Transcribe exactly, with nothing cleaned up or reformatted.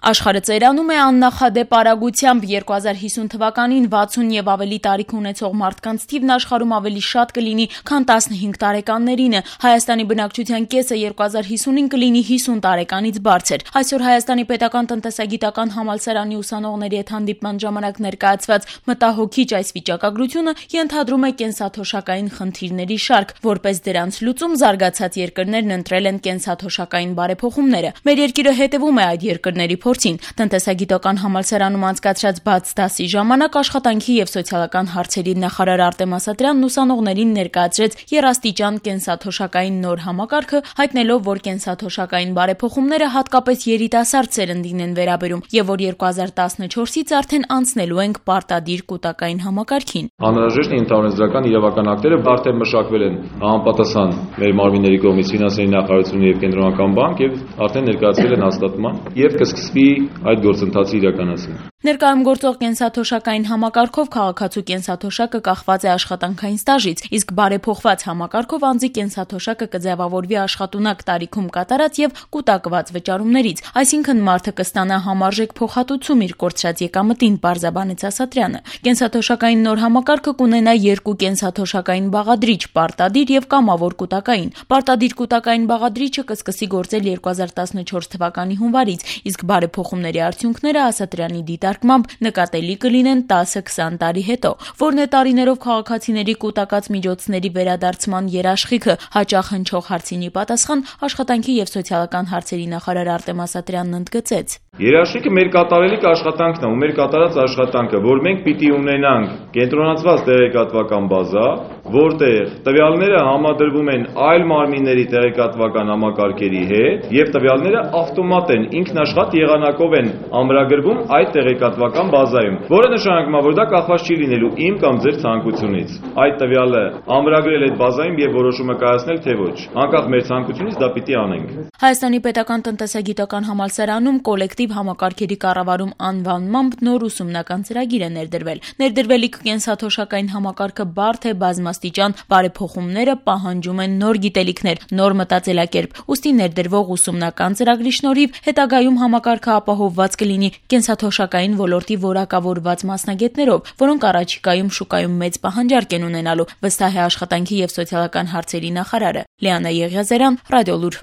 Աշխարհը ծերանում է աննախադեպ արագությամբ։ երկու հազար հիսուն թվականին վաթսուն եւ ավելի տարիք ունեցող մարդկանց թիվն աշխարհում ավելի շատ կլինի, քան տասնհինգ տարեկաններինը։ Հայաստանի բնակչության կեսը երկու հազար հիսունին կլինի հիսուն տարեկանից բարձր։ Այսօր Հայաստանի պետական տնտեսագիտական համալսարանի ուսանողների հետ հանդիպման ժամանակ ներկայացված մտահոգիչ այս վիճակագրությունը ենթադրում է կենսաթոշակային խնդիրների շարք։ Որպես դրանց լուծում զարգացած երկրներն ընտրել են կենսաթոշակային բարեփոխումները։ Մեր երկիրը հետևում է այդ երկրների փորձին։ Տնտեսագիտական համալսարանում անցկացրած բաց դասի ժամանակ աշխատանքի եւ սոցիալական հարցերի նախարար Արտեմ Ասատրյանն ուսանողներին ներկայացրեց եռաստիճան կենսաթոշակային նոր համակարգը, հայտնելով, որ կենսաթոշակային բարեփոխումները հատկապես երիտասարդ սերնդին են վերաբերում եւ որ երկու հազար տասնչորսից արդեն անցնելու ենք պարտադիր կൂട്ടակային համակարգին։ Անհրաժեշտ է ընդհանրեզրական իրավական ակտերը արդեն մշակվել են համապատասխան մեր մարմինների կողմից ֆինանսների նախարարությունը եւ կենտրոնական բանկ եւ արդեն ներկայացվել են հաստատման եւ կսկսվի այդ գործընթացի իրականացումը։ Ներկայում գործող կենսաթոշակային համակարգով քաղաքացու կենսաթոշակը կախված է աշխատանքային ստաժից, իսկ բարեփոխված համակարգով անձի կենսաթոշակը կձևավորվի աշխատունակ տարիքում կատարած եւ կուտակված վճարումներից, այսինքն մարդը կստանա համարժեք փոխհատուցում իր կորցրած եկամտին, պարզաբանեց Ասատրյանը։ Կենսաթոշակային նոր համակարգը կունենա երկու կենսաթոշակային բաղադրիչ՝ պարտադիր եւ կամավոր կուտակային։ Պարտադիր կուտակային բաղադրիչը կսկսի գործել երկու հազար տասնչորս թվականի հունվարից, իսկ բարեփոխումների արդյունքները Ասատրյանի դիտարկմամբ նկատելի կլինեն տասը-քսան տարի հետո, որն է տարիներով քաղաքացիների կուտակած միջոցների վերադարձման երաշխիքը։ Հաճախ հնչող հարցինի պատասխան աշխատանքի եւ սոցիալական հարցերի նախարար Արտեմ Ասատրյանն ընդգծեց. Երաշխիքը մեր կատարելիք աշխատանքն է ու մեր կատարած աշխատանքը, որ մենք պիտի ունենանք կենտրոնացված տեղեկատվական բազա, որտեղ տվյալները համադրվում են այլ մարմինների տեղեկատվական համակարգերի հետ եւ տվյալները ավտոմատ են ինքնաշխատ եղանակով են ամրագրվում այդ տեղեկատվական բազայում, որը նշանակում է, որ դա կախված չի լինելու իմ կամ ձեր ցանկությունից։ Այդ տվյալը ամրագրել այդ բազայում եւ որոշումը կայացնել թե ոչ։ Անկախ մեր ցանկությունից դա պիտի անենք։ Հայաստանի պետական տնտեսագիտական համալսարանում կոլեկտիվ համակարգերի կառավարում անվանմամբ նոր ուսումնական ծրագիր է ներդրվել։ Ներդրվելիք կենսաթոշակային համակարգը բարդ է, բազմաստիճան բարեփոխումները պահանջում են նոր գիտելիքներ, նոր մտածելակերպ։ Ուստի ներդրվող ուսումնական ծրագրի շնորհիվ հետագայում համակարգը ապահովված կլինի կենսաթոշակային ոլորտի որակավորված մասնագետներով, որոնք առաջիկայում շուկայում մեծ պահանջարկ են ունենալու, վստահ է աշխատանքի եւ սոցիալական հարցերի նախարարը։ Լիանա Եղիազարյան, Ռադիոլուր։